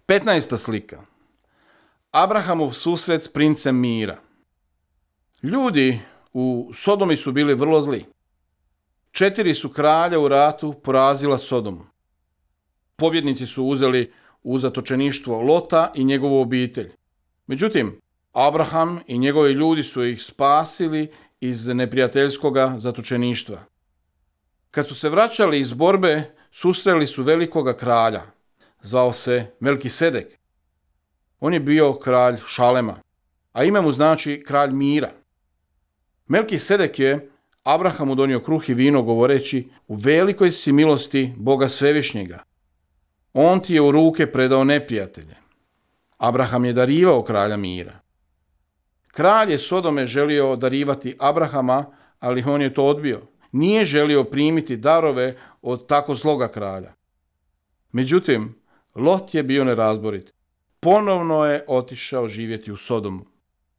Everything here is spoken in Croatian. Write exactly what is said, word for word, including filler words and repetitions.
petnaesta slika. Abrahamov susret s princem mira. Ljudi u Sodomi su bili vrlo zli. Četiri su kralja u ratu porazila Sodomu. Pobjednici su uzeli u zatočeništvo Lota i njegovu obitelj. Međutim, Abraham i njegovi ljudi su ih spasili iz neprijateljskoga zatočeništva. Kad su se vraćali iz borbe, susreli su velikoga kralja. Zvao se Melkisedek. On je bio kralj Šalema, a ime mu znači kralj mira. Melkisedek je Abrahamu donio kruh i vino govoreći: u velikoj si milosti Boga Svevišnjega. On ti je u ruke predao neprijatelje. Abraham je darivao kralja mira. Kralj je Sodome želio darivati Abrahama, ali on je to odbio. Nije želio primiti darove od tako zloga kralja. Međutim, Lot je bio nerazborit. Ponovno je otišao živjeti u Sodomu.